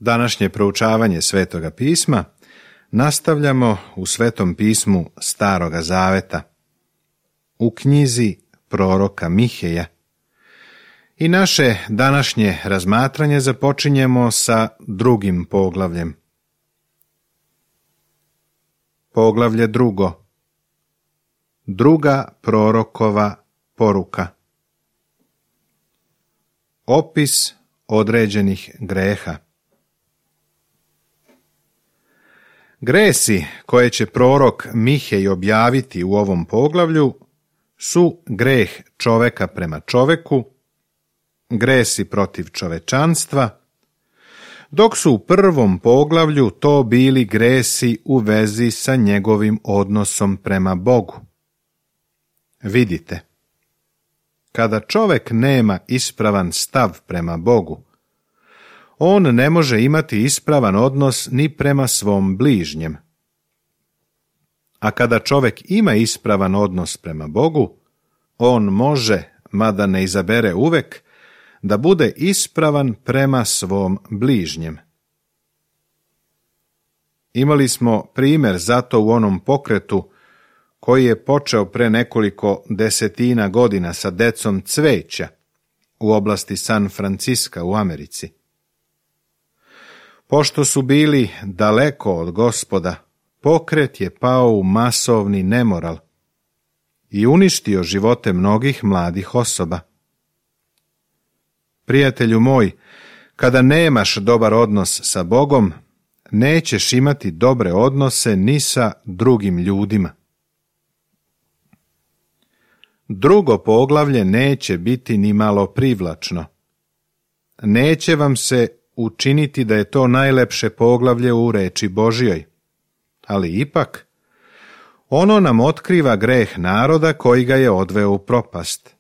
Današnje proučavanje Svetoga pisma nastavljamo u Svetom pismu Staroga Zaveta, u knjizi proroka Miheja. I naše današnje razmatranje započinjemo sa drugim poglavljem. Poglavlje drugo. Druga prorokova poruka. Opis određenih greha. Gresi koje će prorok Mihej objaviti u ovom poglavlju su greh čoveka prema čoveku, gresi protiv čovečanstva, dok su u prvom poglavlju to bili gresi u vezi sa njegovim odnosom prema Bogu. Vidite, kada čovek nema ispravan stav prema Bogu, on ne može imati ispravan odnos ni prema svom bližnjem. A kada čovek ima ispravan odnos prema Bogu, on može, mada ne izabere uvek, da bude ispravan prema svom bližnjem. Imali smo primjer zato u onom pokretu koji je počeo pre nekoliko desetina godina sa decom cveća u oblasti San Franciska u Americi. Pošto su bili daleko od Gospoda, pokret je pao u masovni nemoral i uništio živote mnogih mladih osoba. Prijatelju moj, kada nemaš dobar odnos sa Bogom, nećeš imati dobre odnose ni sa drugim ljudima. Drugo poglavlje neće biti ni malo privlačno. Neće vam se učiniti da je to najlepše poglavlje u reči Božjoj, ali ipak ono nam otkriva greh naroda koji ga je odveo u propast.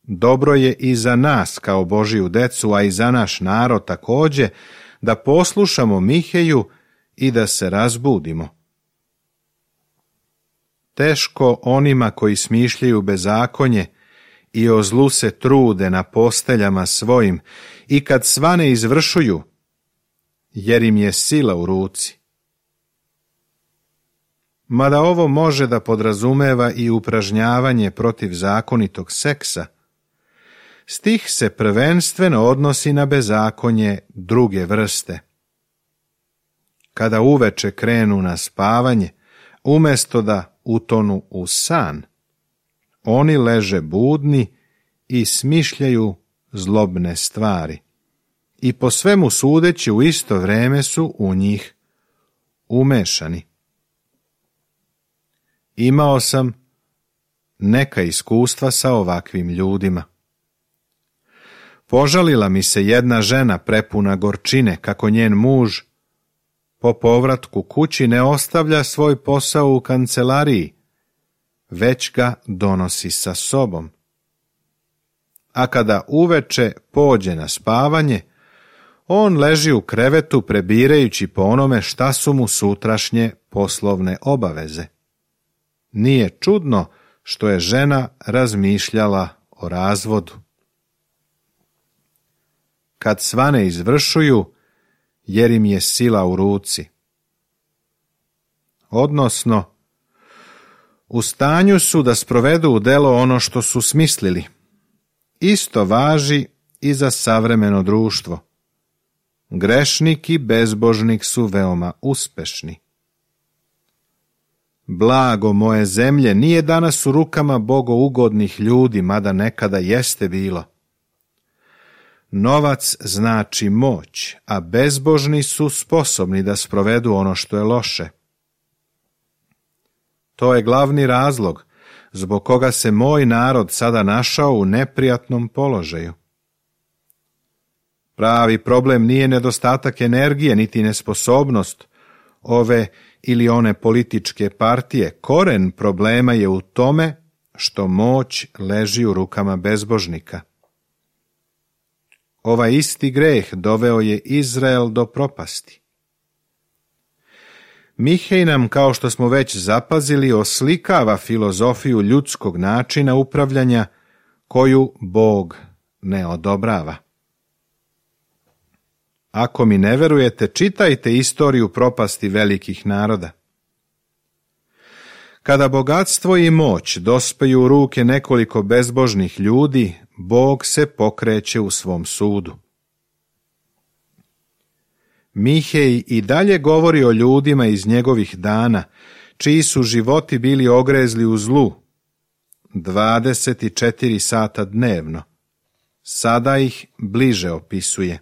Dobro je i za nas kao Božju decu, a i za naš narod također, da poslušamo Miheju i da se razbudimo. Teško onima koji smišljaju bezakonje i o zlu se trude na posteljama svojim i kad svane izvršuju, jer im je sila u ruci. Mada ovo može da podrazumeva i upražnjavanje protiv zakonitog seksa, stih se prvenstveno odnosi na bezakonje druge vrste. Kada uveče krenu na spavanje, umjesto da utonu u san, oni leže budni i smišljaju zlobne stvari i po svemu sudeći u isto vreme su u njih umešani. Imao sam neka iskustva sa ovakvim ljudima. Požalila mi se jedna žena prepuna gorčine kako njen muž po povratku kući ne ostavlja svoj posao u kancelariji, već ga donosi sa sobom. A kada uveče pođe na spavanje, on leži u krevetu prebirajući po onome šta su mu sutrašnje poslovne obaveze. Nije čudno što je žena razmišljala o razvodu. Kad svane izvršuju, jer im je sila u ruci. Odnosno, u stanju su da sprovedu u delo ono što su smislili. Isto važi i za savremeno društvo. Grešnik i bezbožnik su veoma uspešni. Blago moje zemlje nije danas u rukama bogougodnih ljudi, mada nekada jeste bilo. Novac znači moć, a bezbožni su sposobni da sprovedu ono što je loše. To je glavni razlog zbog koga se moj narod sada našao u neprijatnom položaju. Pravi problem nije nedostatak energije, niti nesposobnost ove ili one političke partije. Koren problema je u tome što moć leži u rukama bezbožnika. Ovaj isti greh doveo je Izrael do propasti. Mihej nam, kao što smo već zapazili, oslikava filozofiju ljudskog načina upravljanja koju Bog ne odobrava. Ako mi ne verujete, čitajte istoriju propasti velikih naroda. Kada bogatstvo i moć dospeju u ruke nekoliko bezbožnih ljudi, Bog se pokreće u svom sudu. Mihej i dalje govori o ljudima iz njegovih dana, čiji su životi bili ogrezli u zlu, 24 sata dnevno. Sada ih bliže opisuje.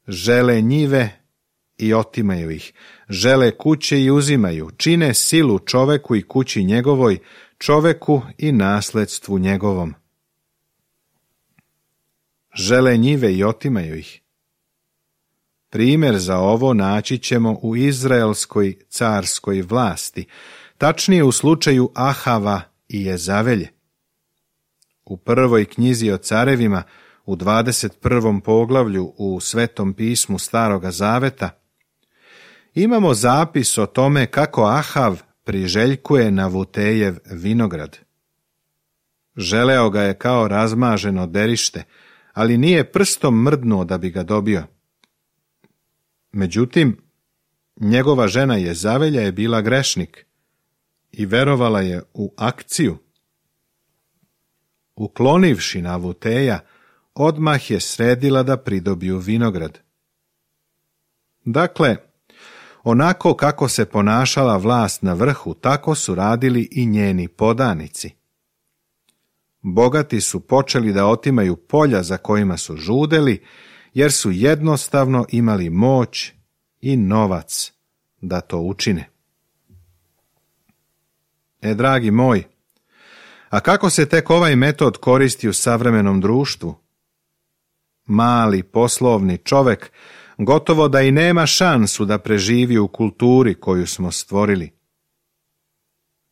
Žele njive i otimaju ih, žele kuće i uzimaju, čine silu čoveku i kući njegovoj, čoveku i nasledstvu njegovom. Žele njive i otimaju ih. Primjer za ovo naći ćemo u izraelskoj carskoj vlasti, tačnije u slučaju Ahava i Jezavelje. U prvoj knjizi o carevima, u 21. poglavlju u Svetom pismu Staroga Zaveta, imamo zapis o tome kako Ahav priželjkuje Navutejev vinograd. Želeo ga je kao razmaženo derište, ali nije prstom mrdnuo da bi ga dobio. Međutim, njegova žena Jezavelja je bila grešnik i verovala je u akciju. Uklonivši Navuteja, odmah je sredila da pridobiju vinograd. Dakle, onako kako se ponašala vlast na vrhu, tako su radili i njeni podanici. Bogati su počeli da otimaju polja za kojima su žudeli, jer su jednostavno imali moć i novac da to učine. Dragi moj, a kako se tek ovaj metod koristi u savremenom društvu? Mali poslovni čovek gotovo da i nema šansu da preživi u kulturi koju smo stvorili.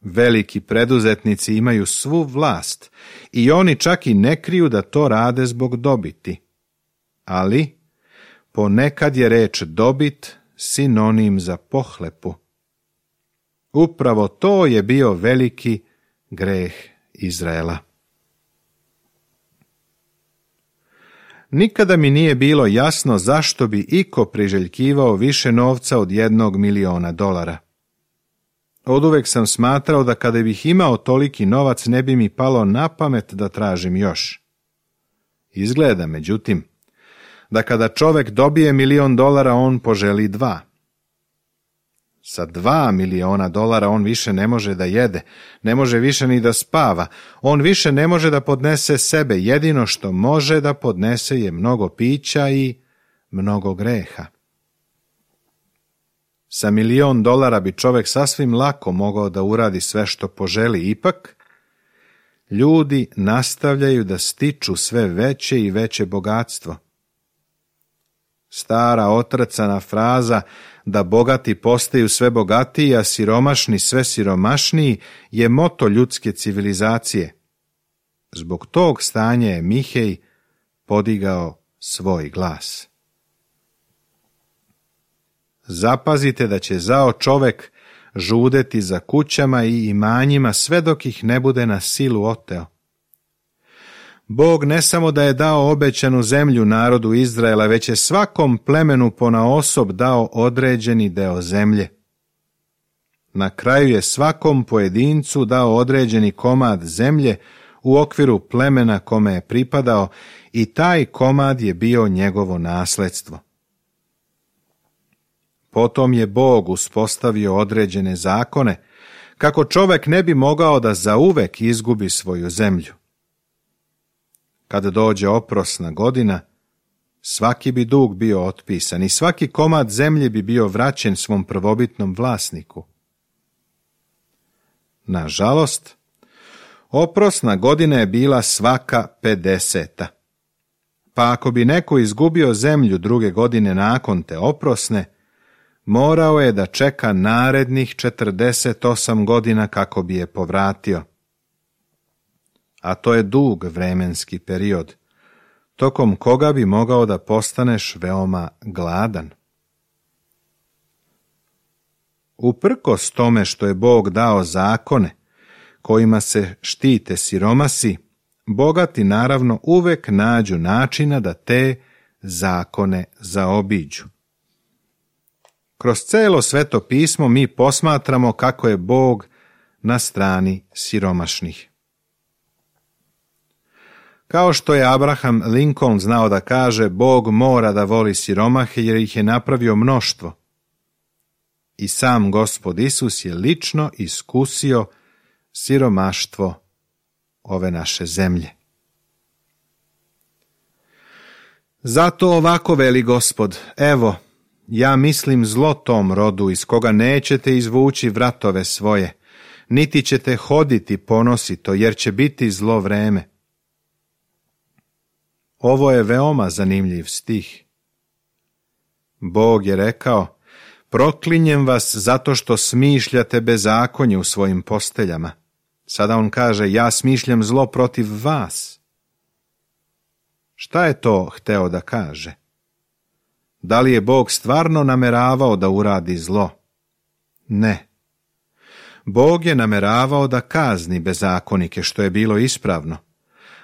Veliki preduzetnici imaju svu vlast i oni čak i ne kriju da to rade zbog dobiti. Ali ponekad je reč dobit sinonim za pohlepu. Upravo to je bio veliki greh Izraela. Nikada mi nije bilo jasno zašto bi iko priželjkivao više novca od $1.000.000. Oduvek sam smatrao da kada bih imao toliki novac ne bi mi palo na pamet da tražim još. Izgleda, međutim, da kada čovek dobije $1.000.000 on poželi 2. Sa $2.000.000 on više ne može da jede, ne može više ni da spava, on više ne može da podnese sebe, jedino što može da podnese je mnogo pića i mnogo greha. Sa $1.000.000 bi čovek sasvim lako mogao da uradi sve što poželi, ipak ljudi nastavljaju da stiču sve veće i veće bogatstvo. Stara otrcana fraza da bogati postaju sve bogatiji, a siromašni sve siromašniji je moto ljudske civilizacije. Zbog tog stanja je Mihej podigao svoj glas. Zapazite da će zao čovek žudeti za kućama i imanjima sve dok ih ne bude na silu oteo. Bog ne samo da je dao obećanu zemlju narodu Izraela, već je svakom plemenu ponaosob dao određeni deo zemlje. Na kraju je svakom pojedincu dao određeni komad zemlje u okviru plemena kome je pripadao i taj komad je bio njegovo nasledstvo. Potom je Bog uspostavio određene zakone kako čovek ne bi mogao da zauvek izgubi svoju zemlju. Kada dođe oprosna godina, svaki bi dug bio otpisan i svaki komad zemlje bi bio vraćen svom prvobitnom vlasniku. Nažalost, oprosna godina je bila svaka 50. Pa ako bi neko izgubio zemlju druge godine nakon te oprosne, morao je da čeka narednih 48 godina kako bi je povratio. A to je dug vremenski period, tokom koga bi mogao da postaneš veoma gladan. Uprkos tome što je Bog dao zakone kojima se štite siromasi, bogati naravno uvek nađu načina da te zakone zaobiđu. Kroz celo Sveto pismo mi posmatramo kako je Bog na strani siromašnih. Kao što je Abraham Lincoln znao da kaže, Bog mora da voli siromahe jer ih je napravio mnoštvo. I sam Gospod Isus je lično iskusio siromaštvo ove naše zemlje. Zato ovako veli Gospod, evo, ja mislim zlo tom rodu iz koga nećete izvući vratove svoje, niti ćete hoditi ponosito, jer će biti zlo vreme. Ovo je veoma zanimljiv stih. Bog je rekao, proklinjem vas zato što smišljate bezakonje u svojim posteljama. Sada on kaže, ja smišljam zlo protiv vas. Šta je to hteo da kaže? Da li je Bog stvarno nameravao da uradi zlo? Ne. Bog je nameravao da kazni bezakonike, što je bilo ispravno,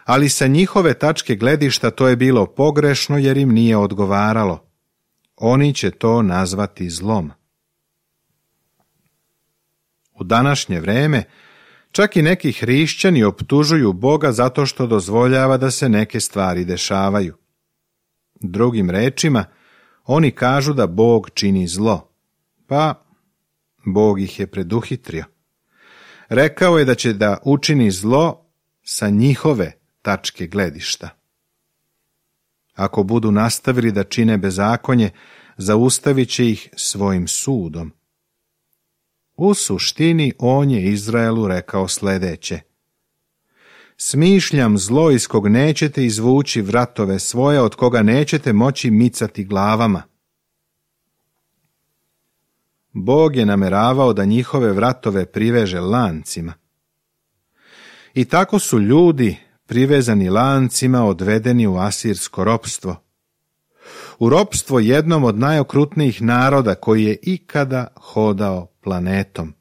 ali sa njihove tačke gledišta to je bilo pogrešno jer im nije odgovaralo. Oni će to nazvati zlom. U današnje vreme čak i neki hrišćani optužuju Boga zato što dozvoljava da se neke stvari dešavaju. Drugim rečima, oni kažu da Bog čini zlo, pa Bog ih je preduhitrio. Rekao je da će da učini zlo sa njihove tačke gledišta. Ako budu nastavili da čine bezakonje, zaustavit će ih svojim sudom. U suštini on je Izraelu rekao sljedeće: smišljam zlo iz kog nećete izvući vratove svoje, od koga nećete moći micati glavama. Bog je nameravao da njihove vratove priveže lancima. I tako su ljudi, privezani lancima, odvedeni u asirsko ropstvo. U ropstvo jednom od najokrutnijih naroda koji je ikada hodao planetom.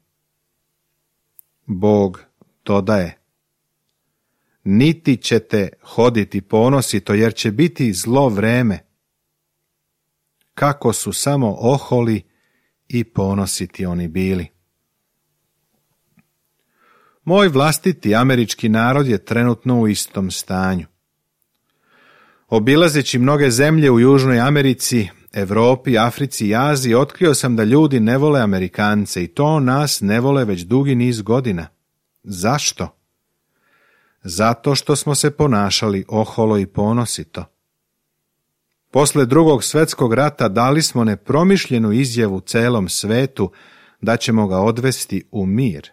Bog dodaje: niti ćete hoditi ponosito, jer će biti zlo vreme. Kako su samo oholi i ponositi oni bili. Moj vlastiti američki narod je trenutno u istom stanju. Obilazeći mnoge zemlje u Južnoj Americi, Evropi, Africi i Aziji, otkrio sam da ljudi ne vole Amerikance i to nas ne vole već dugi niz godina. Zašto? Zato što smo se ponašali oholo i ponosito. Posle Drugog svjetskog rata dali smo nepromišljenu izjavu celom svetu da ćemo ga odvesti u mir.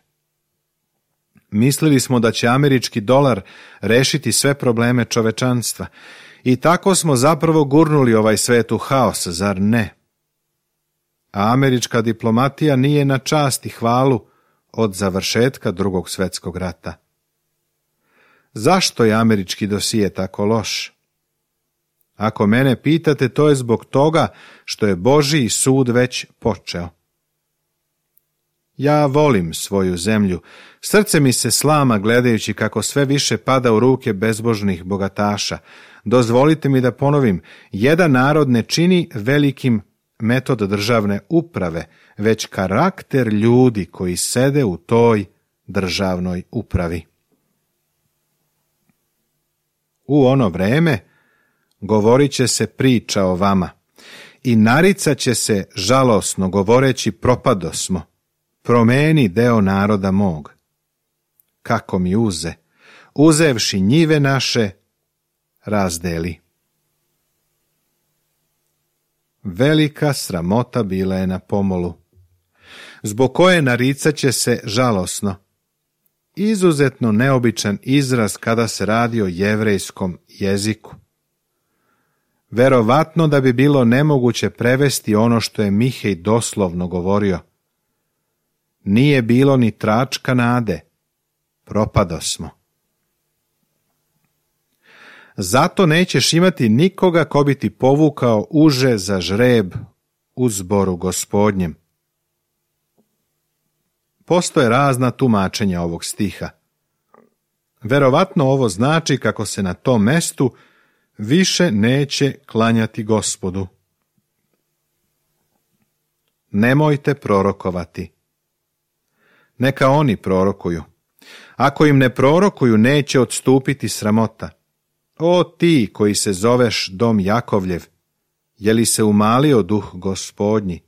Mislili smo da će američki dolar rešiti sve probleme čovečanstva i tako smo zapravo gurnuli ovaj svet u haos, zar ne? A američka diplomatija nije na čast i hvalu od završetka Drugog svjetskog rata. Zašto je američki dosije tako loš? Ako mene pitate, to je zbog toga što je Božji sud već počeo. Ja volim svoju zemlju, srce mi se slama gledajući kako sve više pada u ruke bezbožnih bogataša. Dozvolite mi da ponovim, jedan narod ne čini velikim metod državne uprave, već karakter ljudi koji sede u toj državnoj upravi. U ono vreme govorit će se priča o vama i naricat će se žalosno govoreći propadosmo, promeni deo naroda mog. Kako mi uze, uzevši njive naše, razdeli. Velika sramota bila je na pomolu, zbog koje naricat će se žalosno. Izuzetno neobičan izraz kada se radi o jevrejskom jeziku. Verovatno da bi bilo nemoguće prevesti ono što je Mihej doslovno govorio. Nije bilo ni tračka nade, propadosmo. Zato nećeš imati nikoga ko bi ti povukao uže za žreb u zboru Gospodnjem. Postoje razna tumačenja ovog stiha. Verovatno ovo znači kako se na tom mestu više neće klanjati Gospodu. Nemojte prorokovati. Neka oni prorokuju. Ako im ne prorokuju, neće odstupiti sramota. O ti koji se zoveš dom Jakovljev, je li se umalio duh Gospodnji?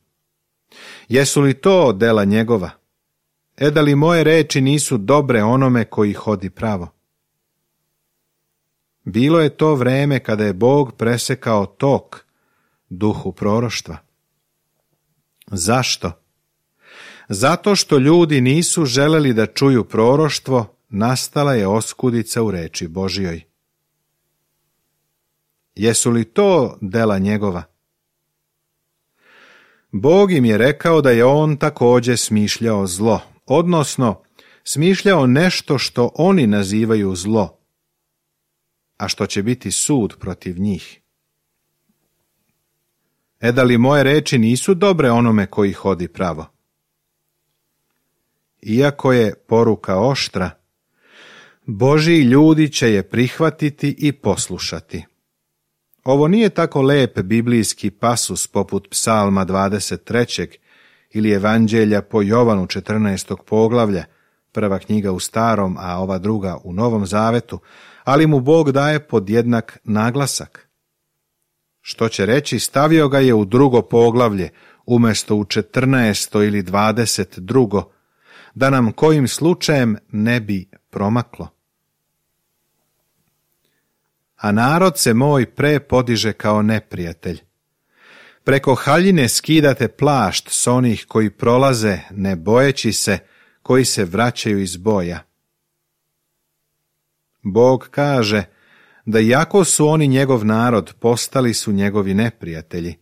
Jesu li to dela njegova? Da li moje reči nisu dobre onome koji hodi pravo? Bilo je to vreme kada je Bog presekao tok duhu proroštva. Zašto? Zato što ljudi nisu želeli da čuju proroštvo, nastala je oskudica u reči Božjoj. Jesu li to dela njegova? Bog im je rekao da je on također smišljao zlo, odnosno smišljao nešto što oni nazivaju zlo, a što će biti sud protiv njih. Da li moje reči nisu dobre onome koji hodi pravo? Iako je poruka oštra, Božji ljudi će je prihvatiti i poslušati. Ovo nije tako lep biblijski pasus poput Psalma 23. ili Evanđelja po Jovanu 14. poglavlja, prva knjiga u Starom, a ova druga u Novom Zavetu, ali mu Bog daje podjednak naglasak. Što će reći, stavio ga je u drugo poglavlje, umjesto u 14. ili 22. da nam kojim slučajem ne bi promaklo. A narod se moj prepodiže kao neprijatelj. Preko haljine skidate plašt s onih koji prolaze, ne bojeći se, koji se vraćaju iz boja. Bog kaže da iako su oni njegov narod, postali su njegovi neprijatelji.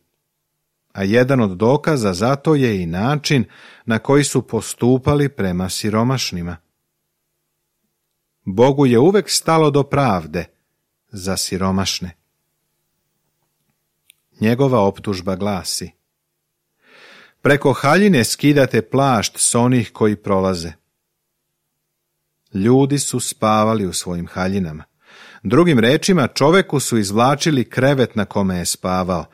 A jedan od dokaza za to je i način na koji su postupali prema siromašnima. Bogu je uvek stalo do pravde za siromašne. Njegova optužba glasi: preko haljine skidate plašt s onih koji prolaze. Ljudi su spavali u svojim haljinama. Drugim rečima, čoveku su izvlačili krevet na kome je spavao.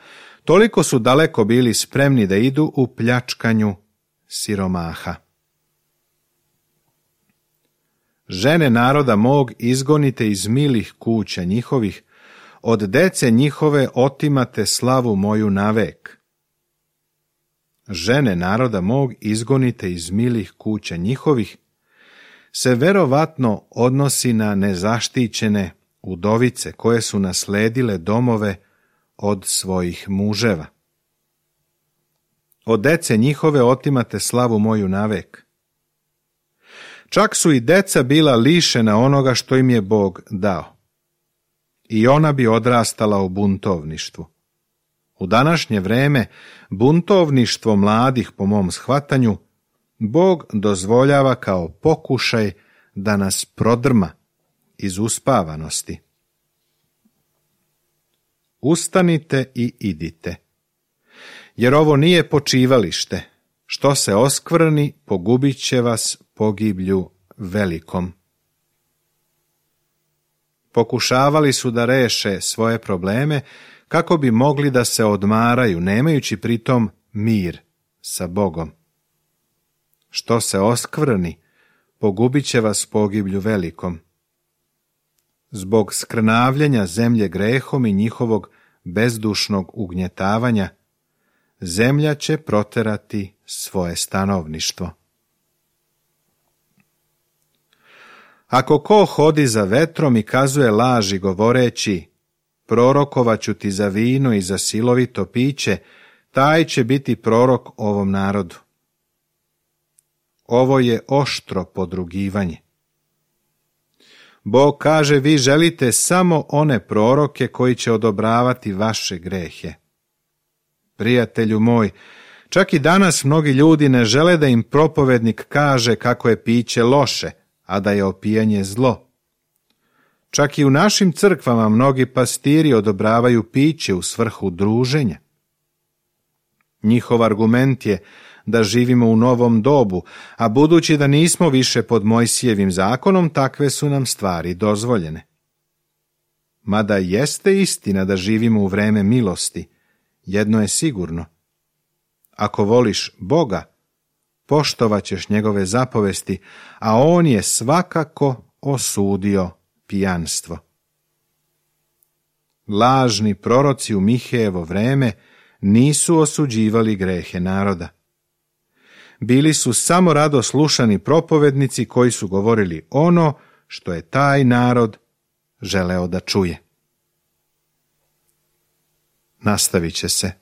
Toliko su daleko bili spremni da idu u pljačkanju siromaha. Žene naroda mog izgonite iz milih kuća njihovih, od dece njihove otimate slavu moju navek. Žene naroda mog izgonite iz milih kuća njihovih se verovatno odnosi na nezaštićene udovice koje su nasledile domove od svojih muževa. Od dece njihove otimate slavu moju navek. Čak su i deca bila lišena onoga što im je Bog dao. I ona bi odrastala u buntovništvu. U današnje vreme buntovništvo mladih, po mom shvatanju, Bog dozvoljava kao pokušaj da nas prodrma iz uspavanosti. Ustanite i idite, jer ovo nije počivalište. Što se oskvrni, pogubit će vas pogiblju velikom. Pokušavali su da reše svoje probleme kako bi mogli da se odmaraju, nemajući pritom mir sa Bogom. Što se oskvrni, pogubit će vas pogiblju velikom. Zbog skrnavljenja zemlje grehom i njihovog bezdušnog ugnjetavanja, zemlja će proterati svoje stanovništvo. Ako ko hodi za vetrom i kazuje laži govoreći, prorokovaću ti za vino i za silovito piće, taj će biti prorok ovom narodu. Ovo je oštro podrugivanje. Bog kaže, vi želite samo one proroke koji će odobravati vaše grehe. Prijatelju moj, čak i danas mnogi ljudi ne žele da im propovednik kaže kako je piće loše, a da je opijanje zlo. Čak i u našim crkvama mnogi pastiri odobravaju piće u svrhu druženja. Njihov argument je da živimo u novom dobu, a budući da nismo više pod Mojsijevim zakonom, takve su nam stvari dozvoljene. Mada jeste istina da živimo u vreme milosti, jedno je sigurno. Ako voliš Boga, poštovat ćeš njegove zapovesti, a on je svakako osudio pijanstvo. Lažni proroci u Mihejevo vreme nisu osuđivali grehe naroda. Bili su samo rado slušani propovednici koji su govorili ono što je taj narod želeo da čuje. Nastavit će se